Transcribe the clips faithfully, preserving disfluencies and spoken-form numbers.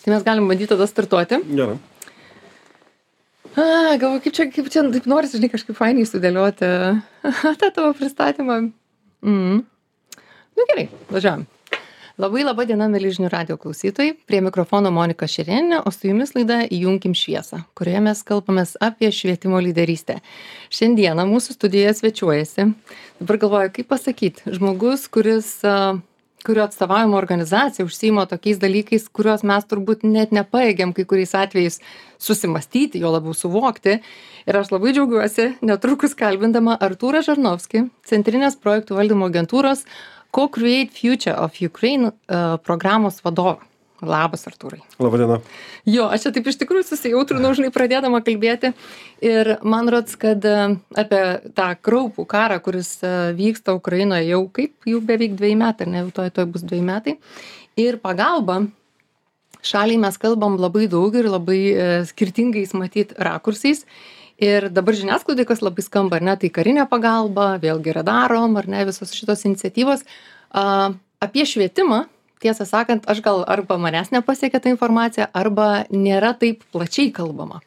Tai mes galim bandyti tada startuoti. Gerai. A, galvoju, kaip čia, kaip čia, taip norisi, žinai, kažkaip fainiai sudėlioti tą tavo pristatymą. Mm. Nu gerai, važiuojam. Labai laba diena, mėly žinių radijo klausytojai. Prie mikrofono Monika Šerėnienė, o su jumis laida Įjunkim šviesą, kurioje mes kalbamės apie švietimo lyderystę. Šiandieną mūsų studijoje svečiuojasi. Dabar galvoju, kaip pasakyti, žmogus, kuris... kurio atstovaujama organizacija užsiima tokiais dalykais, kuriuos mes turbūt net nepaėgiam kai kuriais atvejais susimastyti, jo labiau suvokti. Ir aš labai džiaugiuosi, netrukus kalbindama Artūrą Žarnovskį, Centrinės projektų valdymo agentūros Co-Create Future of Ukraine uh, programos vadovą. Labas, Artūrai. Labą dieną. Jo, aš čia taip iš tikrųjų susijautrinau, žinai, pradėdama kalbėti. Ir man rods, kad apie tą kraupų karą, kuris vyksta Ukrainoje jau kaip, jau beveik dviejų metų, ar ne, jau toj, toj bus dviejų metai. Ir pagalba šaliai mes kalbam labai daug ir labai e, skirtingais matyt rakursais. Ir dabar žiniasklaidai, kas labai skamba, ar ne, tai karinė pagalba, vėlgi yra darom, ar ne, visos šitos iniciatyvos. A, apie švietimą, tiesą sakant, aš gal arba manęs nepasiekia ta informacija, arba nėra taip plačiai kalbama.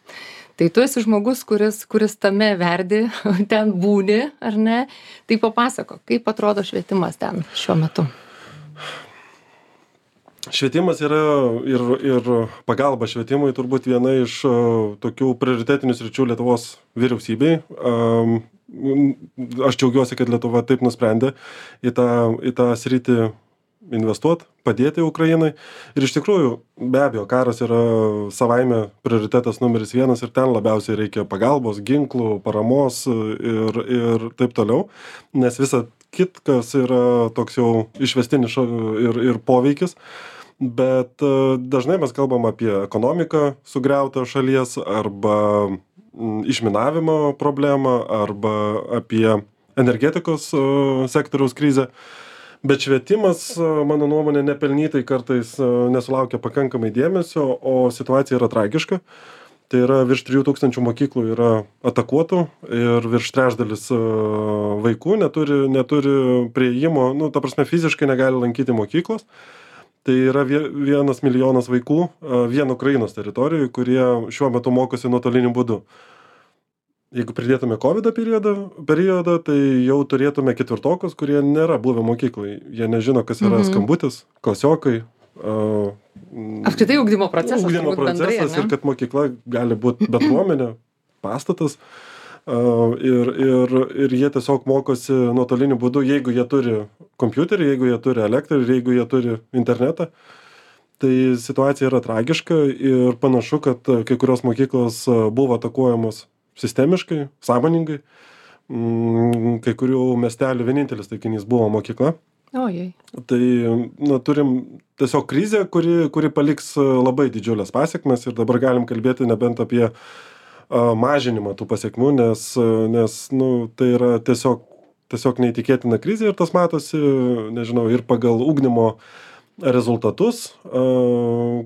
Tai tu esi žmogus, kuris, kuris tame verdi, ten būni, ar ne? Tai papasako, kaip atrodo švietimas ten šiuo metu? Švietimas yra ir, ir pagalba švietimui turbūt viena iš uh, tokių prioritetinių sričių Lietuvos vyriausybei. Um, aš džiaugiuosi, kad Lietuva taip nusprendė į tą, į tą sritį investuot, padėti Ukrainai. Ir iš tikrųjų, be abejo, karas yra savaime prioritetas numeris vienas ir ten labiausiai reikia pagalbos, ginklų, paramos ir, ir taip toliau. Nes visa kitkas yra toks jau išvestinis ir, ir poveikis. Bet dažnai mes kalbam apie ekonomiką sugriautą šalies arba išminavimo problemą arba apie energetikos sektoriaus krizę. Bet švietimas, mano nuomonė, nepelnytai kartais nesulaukia pakankamai dėmesio, o situacija yra tragiška. Tai yra virš trijų tūkstančių mokyklų yra atakuotų ir virš trečdalis vaikų neturi, neturi prieimo, nu, ta prasme, fiziškai negali lankyti mokyklos. Tai yra vienas milijonas vaikų vien Ukrainos teritorijoje, kurie šiuo metu mokosi nuotoliniu būdu. Jeigu pridėtume COVID periodą, periodą, tai jau turėtume ketvirtokus, kurie nėra buvę mokyklai. Jie nežino, kas yra mm-hmm. skambutis, klasiokai. Uh, Apskritai ugdymo procesas. Ugdymo procesas bendrai, ir kad mokykla gali būti bendruomenė, pastatas. Uh, ir, ir, ir jie tiesiog mokosi nuotoliniu būdu, jeigu jie turi kompiuterį, jeigu jie turi elektrą ir jeigu jie turi internetą. Tai situacija yra tragiška ir panašu, kad kai kurios mokyklos buvo atakuojamos sistemiškai, sąmoningai. Kai kurių miestelių vienintelis taikinys buvo mokykla. Ojei. Tai nu, turim tiesiog krizę, kuri, kuri paliks labai didžiulės pasiekmes ir dabar galim kalbėti nebent apie uh, mažinimą tų pasiekmių, nes, nes nu, tai yra tiesiog, tiesiog neįtikėtina krizė ir tas matosi, nežinau, ir pagal ugdymo rezultatus,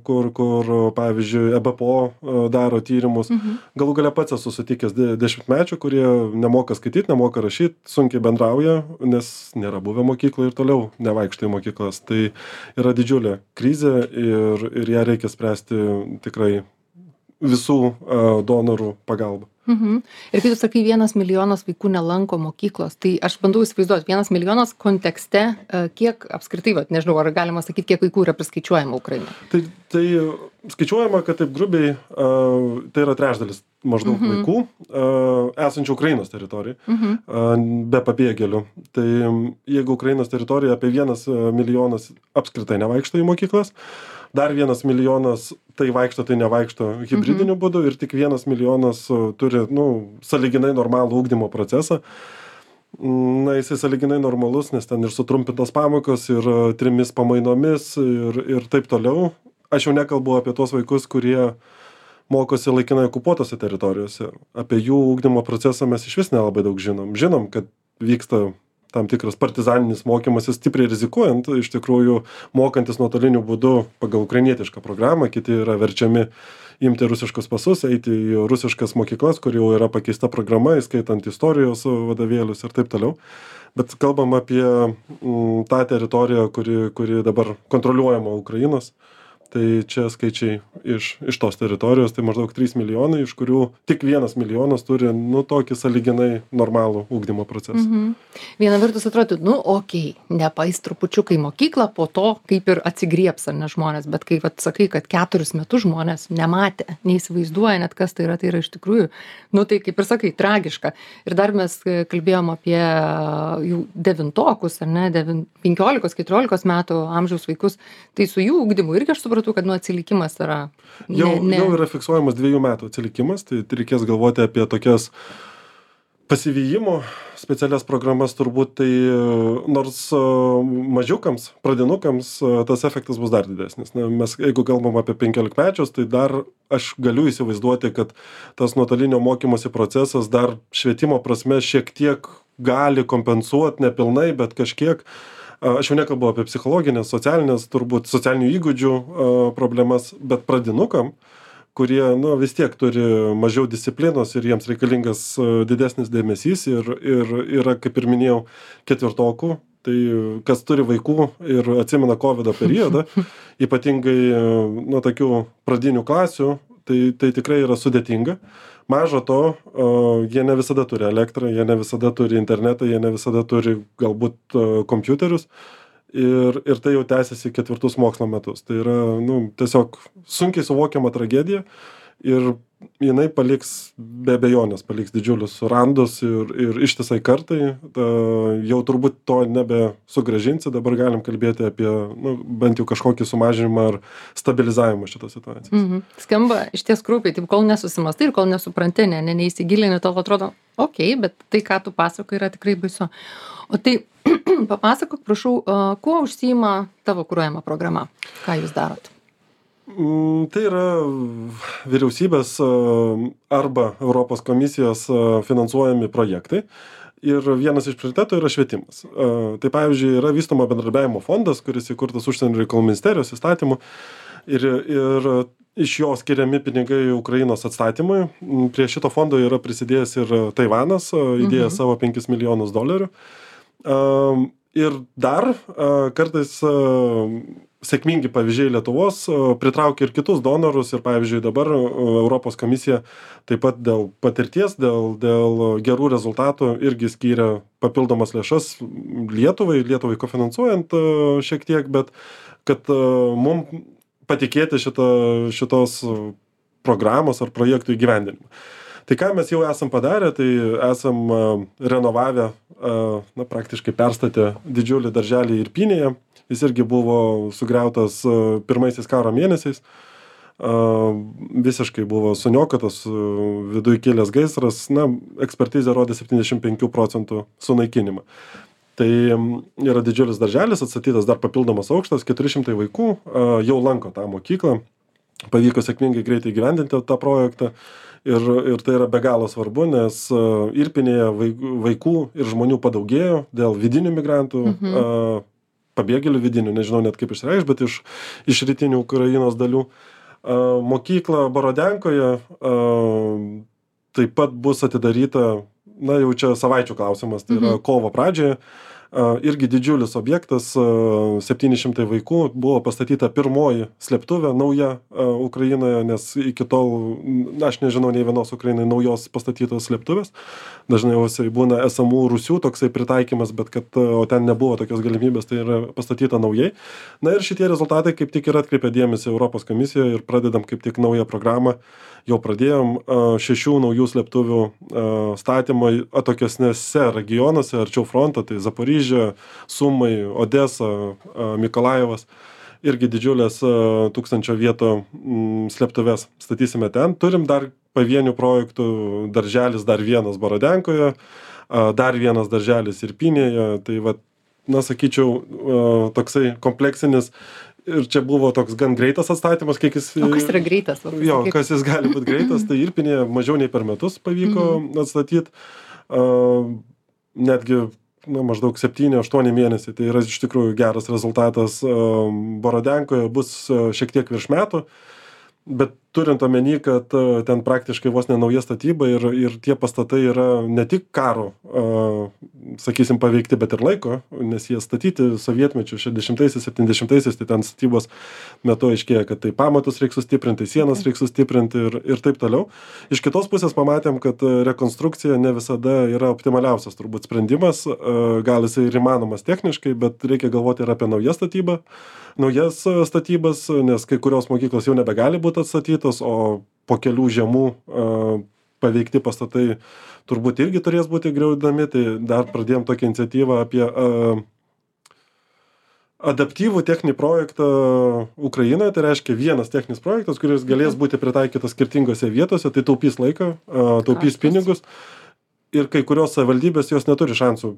kur, kur pavyzdžiui, E B P O daro tyrimus. Mhm. Galų gale pats esu sutikęs dešimtmečių, kurie nemoka skaityti, nemoka rašyti, sunkiai bendrauja, nes nėra buvę mokyklų ir toliau nevaikšto į mokyklas. Tai yra didžiulė krizė ir, ir ją reikia spręsti tikrai visų donorų pagalba. Mhm. Ir kai tu sakai, vienas milijonas vaikų nelanko mokyklos, tai aš bandau įsivaizduoti, vienas milijonas kontekste, kiek apskritai, vat, nežinau, ar galima sakyti, kiek vaikų yra priskaičiuojama Ukrainoje? Tai, tai skaičiuojama, kad taip grubiai, uh, tai yra trečdalis maždaug mhm. vaikų uh, esančių Ukrainos teritorijai, mhm. uh, be pabėgėlių. Tai jeigu Ukrainos teritorija apie vienas milijonas apskritai nevaikšto į mokyklas, dar vienas milijonas tai vaikšto, tai nevaikšto hibridiniu mhm. būdu ir tik vienas milijonas turi, nu, sąlyginai normalų ugdymo procesą. Na, jisai sąlyginai normalus, nes ten ir sutrumpintos pamokos, ir trimis pamainomis, ir, ir taip toliau. Aš jau nekalbu apie tuos vaikus, kurie mokosi laikinai okupuotose teritorijose. Apie jų ugdymo procesą mes iš vis nelabai daug žinom. Žinom, kad vyksta tam tikras partizaninis mokymasis, stipriai rizikuojant, iš tikrųjų mokantis nuotoliniu būdu pagal ukrainietišką programą, kiti yra verčiami imti rusiškus pasus, eiti į rusiškas mokyklas, kur jau yra pakeista programa, įskaitant istorijos vadovėlius ir taip toliau. Bet kalbam apie m, tą teritoriją, kuri, kuri dabar kontroliuojama Ukrainos. Tai čia skaičiai iš, iš tos teritorijos, tai maždaug trys milijonai, iš kurių tik vienas milijonas turi, nu, tokį sąlyginai normalų ugdymo procesą. Mhm. Viena vertus atrodo, nu, okei, okay, nepais trupučiukai mokyklą, po to kaip ir atsigriebs, ar ne žmonės, bet kai vat, sakai, kad keturis metus žmonės nematė, neįsivaizduoja net kas tai yra, tai yra iš tikrųjų, nu, tai kaip ir sakai, tragiška. Ir dar mes kalbėjom apie jų devintokus, ar ne, devin, penkiolikos keturiolikos metų amžiaus vaikus, tai su jų ugdymu irgi aš supratau, kad nu atsilikimas yra. Ne, jau, ne... jau yra fiksuojamas dviejų metų atsilikimas, tai reikės galvoti apie tokias pasivyjimo specialias programas turbūt, tai nors mažiukams, pradinukams tas efektas bus dar didesnis. Na, mes, jeigu kalbam apie penkiolikmečius, tai dar aš galiu įsivaizduoti, kad tas nuotolinio mokymosi procesas dar švietimo prasme šiek tiek gali kompensuoti, nepilnai, bet kažkiek. Aš jau nekalbu apie psichologinės, socialinės, turbūt socialinių įgūdžių problemas, bet pradinukam, kurie nu, vis tiek turi mažiau disciplinos ir jiems reikalingas didesnis dėmesys ir, ir yra, kaip ir minėjau, ketvirtokų, tai kas turi vaikų ir atsimena kovido periodą, ypatingai nuo tokių pradinių klasių, tai, tai tikrai yra sudėtinga. Mažo to, jie ne visada turi elektrą, jie ne visada turi internetą, jie ne visada turi galbūt kompiuterius ir, ir tai jau tęsiasi ketvirtus mokslo metus. Tai yra nu, tiesiog sunkiai suvokiama tragedija ir jinai paliks, be abejonės, paliks didžiulius randus ir, ir ištisai kartai. Ta, jau turbūt to nebe sugrąžinsi, dabar galim kalbėti apie nu, bent jau kažkokį sumažinimą ar stabilizavimą šitos situacijos. Mhm. Skamba iš ties krūpiai, taip kol nesusimastai ir kol nesupranti, ne, ne, neįsigilini, tol atrodo, okei, okay, bet tai, ką tu pasakoji, yra tikrai baisu. O tai papasakok, prašau, kuo užsiima tavo kuruojama programa? Ką jūs darot? Tai yra vyriausybės arba Europos komisijos finansuojami projektai ir vienas iš prioritetų yra švietimas. Tai pavyzdžiui, yra vystoma bendradarbiavimo fondas, kuris įkurtas Užsienio reikalų ministerijos įstatymu ir, ir iš jo skiriami pinigai Ukrainos atstatymui. Prie šito fondo yra prisidėjęs ir Taivanas, įdėjęs mhm. savo penkis milijonus dolerių. Ir dar kartais sėkmingi pavyzdžiai Lietuvos pritraukia ir kitus donorus ir pavyzdžiui dabar Europos komisija taip pat dėl patirties, dėl, dėl gerų rezultatų irgi skyrė papildomas lėšas Lietuvai, Lietuvai kofinansuojant šiek tiek, bet kad mums patikėti šito, šitos programos ar projektų įgyvendinimą. Tai ką mes jau esam padarę, tai esam renovavę, na, praktiškai perstatę didžiulį darželį Irpynėje. Jis irgi buvo sugriautas pirmaisiais karo mėnesiais. Visiškai buvo suniokotas, viduj kilęs gaisras, na, ekspertizė rodė septyniasdešimt penkių procentų sunaikinimą. Tai yra didžiulis darželis, atstatytas dar papildomas aukštas, keturi šimtai vaikų jau lanko tą mokyklą. Pavyko sėkmingai greitai gyvendinti tą projektą. Ir, ir tai yra be galo svarbu, nes Irpinėje vaikų ir žmonių padaugėjo dėl vidinių migrantų, mhm. pabėgėlių vidinių, nežinau net kaip išreikš, bet iš, iš rytinių Ukrainos dalių. Mokykla Borodenkoje taip pat bus atidaryta, na jau čia savaičių klausimas, tai yra mhm. kovo pradžioje. Irgi didžiulis objektas, septyni šimtai vaikų, buvo pastatyta pirmoji slėptuvė nauja Ukrainoje, nes iki tol, aš nežinau, nei vienos Ukrainai naujos pastatytos slėptuvės. Dažniausiai būna esamų Rusių toksai pritaikymas, bet kad, o ten nebuvo tokios galimybės, tai yra pastatyta naujai. Na ir šitie rezultatai kaip tik ir atkreipia dėmesį Europos komisijoje ir pradedam kaip tik naują programą. Jau pradėjom šešių naujų slėptuvių statymą atokesnėse regionuose, arčiau fronto, tai Zaporižė, Sumai, Odesa, Mikolajevas. Irgi didžiulės tūkstančio vietų slėptuvės statysime ten. Turim dar pavienių projektų, darželis dar vienas Borodenkoje, dar vienas darželis Irpynėje. Tai va, na, sakyčiau, toksai kompleksinis. Ir čia buvo toks gan greitas atstatymas, kiek jis... O kas yra greitas? Jo, kas jis gali būti greitas, tai Irpinėje mažiau nei per metus pavyko mm-hmm. atstatyti. Uh, netgi na, maždaug septyni aštuoni mėnesiai, tai yra iš tikrųjų geras rezultatas. Uh, Borodenkoje bus uh, šiek tiek virš metų, bet turint omeny, kad uh, ten praktiškai vos ne nauja statyba ir, ir tie pastatai yra ne tik karo, uh, sakysim, paveikti, bet ir laiko, nes jie statyti sovietmečių šešiasdešimtaisiais, septyniasdešimtaisiais, tai ten statybos metu aiškėja, kad tai pamatus reikia sustiprinti, sienas reikia sustiprinti ir, ir taip toliau. Iš kitos pusės pamatėm, kad rekonstrukcija ne visada yra optimaliausias turbūt sprendimas, gal jisai ir įmanomas techniškai, bet reikia galvoti ir apie naują statybą, naujas statybas, nes kai kurios mokyklos jau nebegali būti atstatytos, o po kelių žiemų paveikti pastatai turbūt irgi turės būti griaudami, tai dar pradėjom tokią iniciatyvą apie adaptyvų techninį projektą Ukrainoje, tai reiškia vienas techninis projektas, kuris galės būti pritaikytas skirtingose vietose, tai taupys laiką, taupys pinigus ir kai kurios savivaldybės jos neturi šansų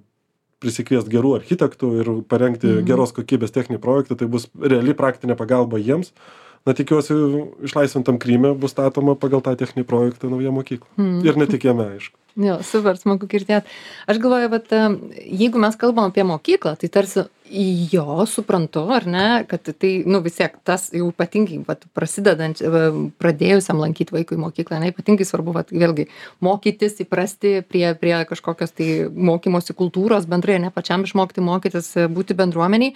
prisikviesti gerų architektų ir parengti mhm. geros kokybės techninį projektą, tai bus reali praktinė pagalba jiems. Na, tikiuosi, išlaisvintam Kryme bus statoma pagal tą techninį projektą nauja mokykla. Hmm. Ir ne tik jame, aišku. Jo, super, smagu girdėti. Aš galvoju, bet jeigu mes kalbam apie mokyklą, tai tarsi jo suprantu, ar ne, kad tai, nu vis tiek, tas jau ypatingai, vat, prasidedant, pradėjusiam lankyti vaikui mokyklą, ne, ypatingai svarbu, vat, vėlgi, mokytis, įprasti prie, prie kažkokios tai mokymosi kultūros, bendrai, ne pačiam išmokti mokytis, būti bendruomeniai.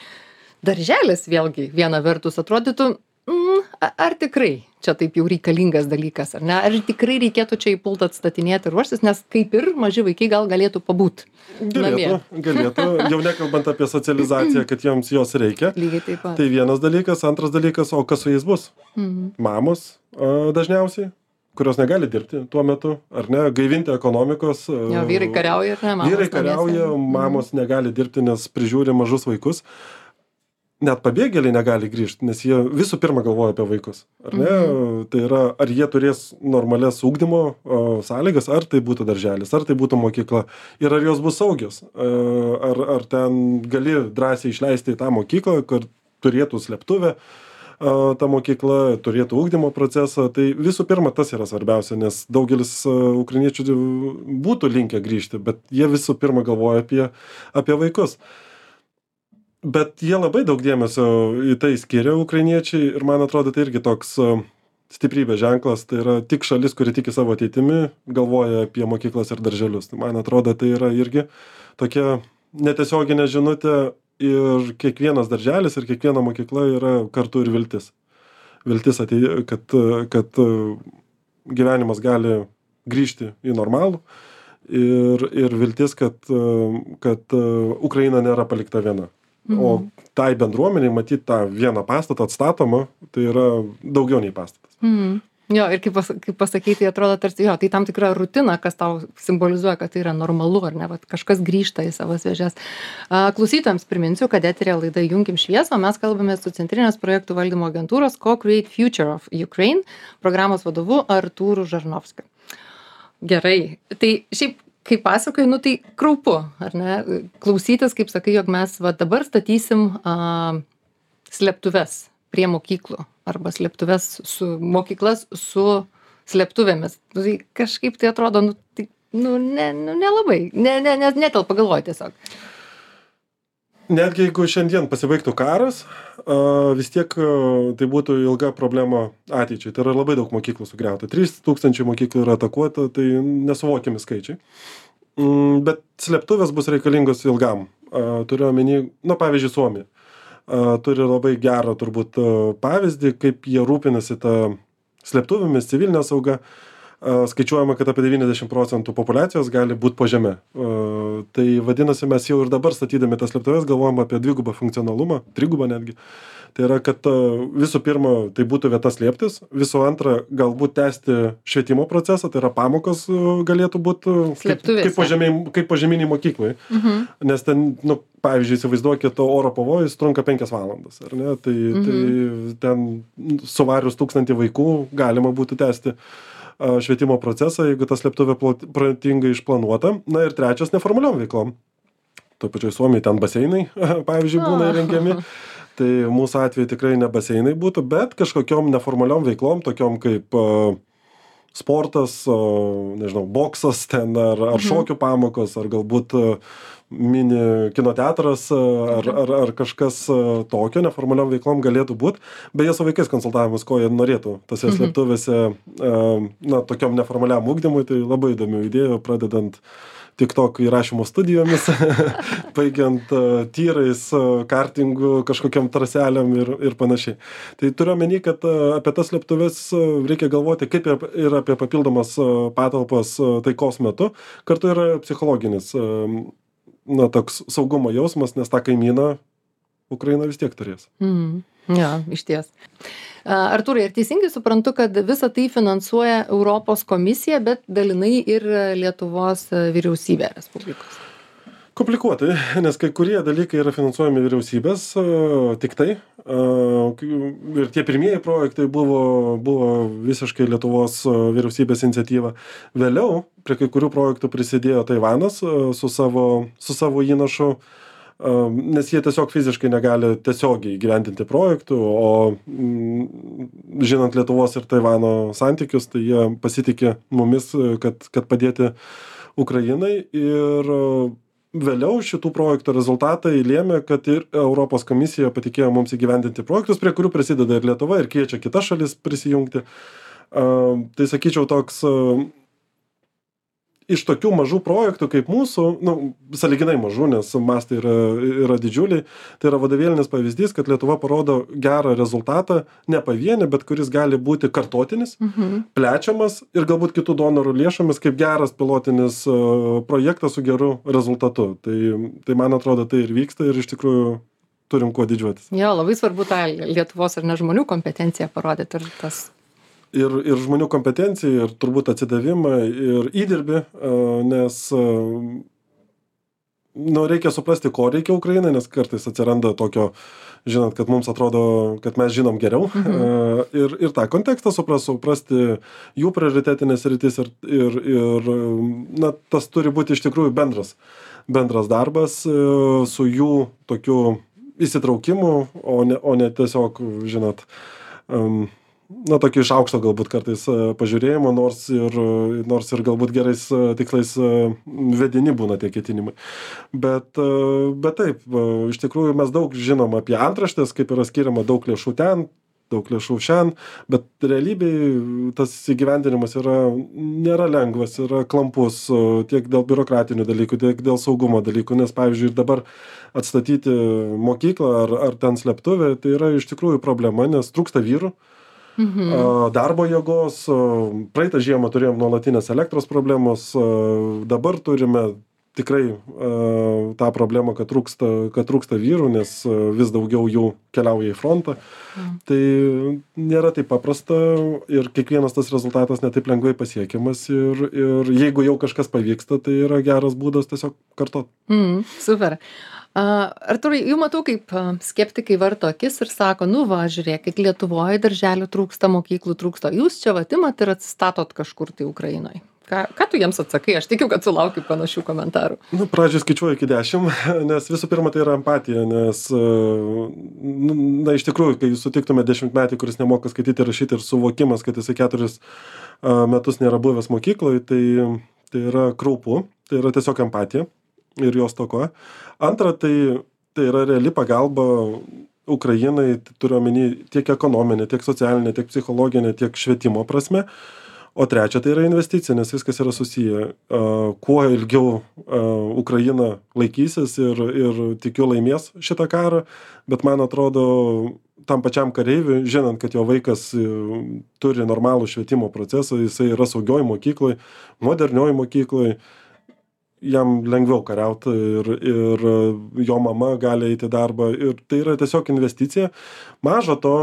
Darželis, vėlgi, viena vertus atrodytų, Mm, ar tikrai čia taip jau reikalingas dalykas, ar ne? Ar tikrai reikėtų čia į pultą atstatinėti ir ruoštis, nes kaip ir maži vaikai gal galėtų pabūt namie. Galėtų, galėtų, jau nekalbant apie socializaciją, kad jiems jos reikia. Lygiai taip pat. Tai vienas dalykas, antras dalykas, o kas su jais bus? Mhm. Mamos a, dažniausiai, kurios negali dirbti tuo metu, ar ne, gaivinti ekonomikos. Jo, vyrai kariauja, ar ne? Mamos vyrai kariauja, mamos mhm. negali dirbti, nes prižiūri mažus vaikus. Net pabėgėliai negali grįžti, nes jie visų pirma galvoja apie vaikus. Ar ne? Mhm. Tai yra, ar jie turės normalias ugdymo o, sąlygas, ar tai būtų darželis, ar tai būtų mokykla, ir ar jos bus saugios. Ar, ar ten gali drąsiai išleisti į tą mokyklą, kur turėtų slėptuvę, ta mokykla, turėtų ugdymo procesą. Tai visų pirma, tas yra svarbiausia, nes daugelis ukrainiečių būtų linkę grįžti, bet jie visų pirma galvoja apie, apie vaikus. Bet jie labai daug dėmesio į tai skiria ukrainiečiai ir man atrodo tai irgi toks stiprybės ženklas, tai yra tik šalis, kuri tiki savo ateitimi, galvoja apie mokyklas ir darželius. Tai man atrodo tai yra irgi tokia netiesioginė žinutė ir kiekvienas darželis ir kiekviena mokykla yra kartu ir viltis. Viltis, atei, kad, kad gyvenimas gali grįžti į normalų ir, ir viltis, kad, kad Ukraina nėra palikta viena. Mhm. O tai bendruomeniai matyti tą vieną pastatą atstatomą, tai yra daugiau nei pastatas. Mhm. Jo, ir kaip, pas, kaip pasakyti, tai atrodo tarsi, jo, tai tam tikra rutina, kas tau simbolizuoja, kad tai yra normalu, ar ne, vat, kažkas grįžta į savo vėžes. Klausytojams priminsiu, kad eterė laida Junkim šviesą, mes kalbame su Centrinės projektų valdymo agentūros Co-Create Future of Ukraine programos vadovu Artūru Žarnovskiu. Gerai, tai šiaip kaip pasakoju, nu tai kraupu, ar ne, klausytis, kaip sakai, jog mes va dabar statysim a, slėptuves prie mokyklų arba slėptuves su mokyklas su slėptuvėmis. Nu, tai kažkaip tai atrodo, nu, tai, nu, ne, nu, nelabai, ne, ne, ne, netelpa galvoju tiesiog. Netgi jeigu šiandien pasibaigtų karas, vis tiek tai būtų ilga problema ateičiai. Tai yra labai daug mokyklų sugriauta. trys tūkstančiai mokyklų yra atakuota, tai nesuvokiami skaičiai. Bet slėptuvės bus reikalingos ilgam. Turiu omeny, nu, pavyzdžiui, Suomija. Turi labai gerą turbūt pavyzdį, kaip jie rūpinasi tą slėptuvėmis, civilinę saugą. Skaičiuojama, kad apie devyniasdešimt procentų populiacijos gali būti po žeme. Tai vadinasi, mes jau ir dabar statydami tas slėptuves galvojam apie dvigubą funkcionalumą, trigubą netgi. Tai yra, kad visų pirma, tai būtų vieta slėptis, visų antra, galbūt tęsti švietimo procesą, tai yra pamokos galėtų būti kaip, kaip, požemiai, kaip požeminiai mokyklai. Mhm. Nes ten, nu, pavyzdžiui, įsivaizduokit, oro pavojus trunka penkias valandas, ar ne? Tai, mhm. tai ten suvarius tūkstantį vaikų galima būtų tęsti švietimo procesą, jeigu ta slėptuvė protingai išplanuota. Na ir trečias, neformaliom veiklom. Tuo pačioj Suomijai ten baseinai, pavyzdžiui, būna įrengiami. Tai mūsų atveju tikrai ne baseinai būtų, bet kažkokiom neformaliom veiklom, tokiom kaip uh, sportas, uh, nežinau, boksas ten, ar, ar šokių pamokos, ar galbūt uh, mini kino teatras ar, ar, ar kažkas tokio, neformaliom veiklom galėtų būti. Beje, su vaikais konsultavimus, ko jie norėtų tose mhm. slėptuvėse, na, tokiom neformaliam ugdymui, tai labai įdomių idėjų, pradedant TikTok įrašymo studijomis, baigiant uh, tyrais, uh, kartingų, kažkokiam traseliam ir, ir panašiai. Tai turiu omeny, kad uh, apie tas slėptuves uh, reikia galvoti kaip ir, ir apie papildomas uh, patalpas uh, taikos metu. Kartu yra psichologinis uh, na, toks saugumo jausmas, nes tą kaimyną Ukraina vis tiek turės. Mm. Ja, išties. Artūrai, ar teisingai suprantu, kad visą tai finansuoja Europos komisija, bet dalinai ir Lietuvos vyriausybė Respublikos? Komplikuotai, nes kai kurie dalykai yra finansuojami vyriausybės, tik tai. Ir tie pirmieji projektai buvo, buvo visiškai Lietuvos vyriausybės iniciatyva. Vėliau prie kai kurių projektų prisidėjo Taivanas su savo, su savo įnašu, nes jie tiesiog fiziškai negali tiesiogiai įgyvendinti projektų, o m, žinant Lietuvos ir Taivano santykius, tai jie pasitikė mumis, kad, kad padėti Ukrainai. Ir vėliau šitų projektų rezultatai lėmė, kad ir Europos komisija patikėjo mums įgyvendinti projektus, prie kurių prisideda ir Lietuva, ir kviečia kitas šalis prisijungti. Tai sakyčiau toks iš tokių mažų projektų kaip mūsų, nu, sąlyginai mažų, nes mastai yra, yra didžiuliai, tai yra vadovėlinis pavyzdys, kad Lietuva parodo gerą rezultatą, ne pavienį, bet kuris gali būti kartotinis, mhm. plečiamas ir galbūt kitų donorų lėšomis kaip geras pilotinis uh, projektas su geru rezultatu. Tai, tai man atrodo, tai ir vyksta ir iš tikrųjų turim kuo didžiuotis. Jo, labai svarbu tą Lietuvos ar ne žmonių kompetenciją parodyti ir tas... Ir, ir žmonių kompetenciją, ir turbūt atsidavimą, ir įdirbį, nes nu, reikia suprasti, ko reikia Ukrainai, nes kartais atsiranda tokio, žinant, kad mums atrodo, kad mes žinom geriau. Mhm. Ir, ir tą kontekstą supras, suprasti jų prioritetinės rytis ir, ir, ir na, tas turi būti iš tikrųjų bendras, bendras darbas su jų tokiu įsitraukimu, o ne, o ne tiesiog, žinot, um, na, tokį iš aukšto galbūt kartais pažiūrėjimo, nors ir, nors ir galbūt gerais tikslais vedini būna tie ketinimai. Bet, bet taip, iš tikrųjų mes daug žinom apie antraštės, kaip yra skiriama daug lėšų ten, daug lėšų šiandien, bet realybėj tas įgyvendinimas yra, nėra lengvas, yra klampus tiek dėl biurokratinių dalykų, tiek dėl saugumo dalykų, nes pavyzdžiui ir dabar atstatyti mokyklą ar, ar ten slėptuvę, tai yra iš tikrųjų problema, nes trūksta vyrų. Mhm. Darbo jėgos, praeitą žiemą turėjom nuolatinės elektros problemos, dabar turime tikrai tą problemą, kad trūksta, kad trūksta vyrų, nes vis daugiau jų keliauja į frontą. Mhm. Tai nėra taip paprasta ir kiekvienas tas rezultatas netaip lengvai pasiekiamas ir, ir jeigu jau kažkas pavyksta, tai yra geras būdas tiesiog kartot. Mhm, super. Artūrai, jau matau, kaip skeptikai varto akis ir sako, nu va, žiūrėkit, Lietuvoje darželių trūksta, mokyklų trūksta, jūs čia atimat ir atsistatot kažkur tai Ukrainoje. Ką, ką tu jiems atsakai? Aš tikiu, kad sulaukiu panašių komentarų. Nu, pradžiai skaičiuoju iki dešimt, nes visų pirma tai yra empatija, nes, na, iš tikrųjų, kai jūs sutiktume dešimtmetį, kuris nemoka skaityti ir rašyti ir suvokimas, kad jisai keturis metus nėra buvęs mokykloje, tai, tai yra kraupu, tai yra tiesiog empatija. Ir jos tokoja. Antra, tai, tai yra reali pagalba Ukrainai, turiu omeny tiek ekonominė, tiek socialinė, tiek psichologinė, tiek švietimo prasme. O trečia, tai yra investicija, nes viskas yra susiję. Uh, kuo ilgiau uh, Ukraina laikysis ir, ir tikiu laimės šitą karą, bet man atrodo, tam pačiam kareiviui, žinant, kad jo vaikas uh, turi normalų švietimo procesą, jisai yra saugioj mokykloj, modernioj mokykloj, jam lengviau kariauti ir, ir jo mama gali eiti į darbą ir tai yra tiesiog investicija. Maža to,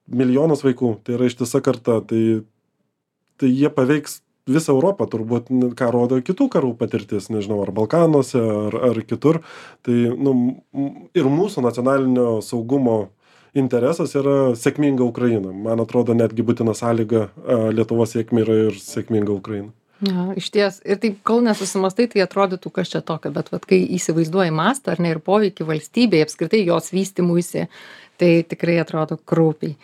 milijonas vaikų, tai yra ištisa karta, tai, tai jie paveiks visą Europą, turbūt, ką rodo kitų karų patirtis, nežinau, ar Balkanuose, ar, ar kitur. Tai nu, ir mūsų nacionalinio saugumo interesas yra sėkminga Ukraina. Man atrodo, netgi būtina sąlyga Lietuvos sėkmė yra ir sėkminga Ukraina. Ja, iš ties. Ir taip, kol nesusimastai, tai atrodytų, kas čia tokio, bet vat, kai įsivaizduoji mastą, ar ne, ir poveikį valstybėje, apskritai jos vystymuisi, Tai tikrai atrodo kraupiai.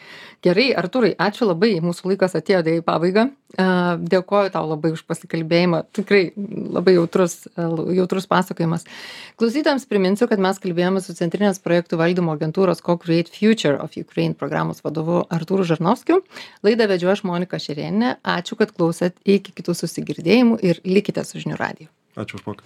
Gerai, Artūrai, ačiū labai, mūsų laikas atėjo į pabaigą. Dėkoju tau labai už pasikalbėjimą, tikrai labai jautrus, jautrus pasakojimas. Klausytojams priminsiu, kad mes kalbėjome su Centrinės projektų valdymo agentūros Co-Create Future of Ukraine programos vadovu Artūru Žarnovskiu. Laidą vedžiau aš Monika Šerėnienė. Ačiū, kad klausėt, iki kitų susigirdėjimų ir likite su žinių radiju. Ačiū už pokalbį.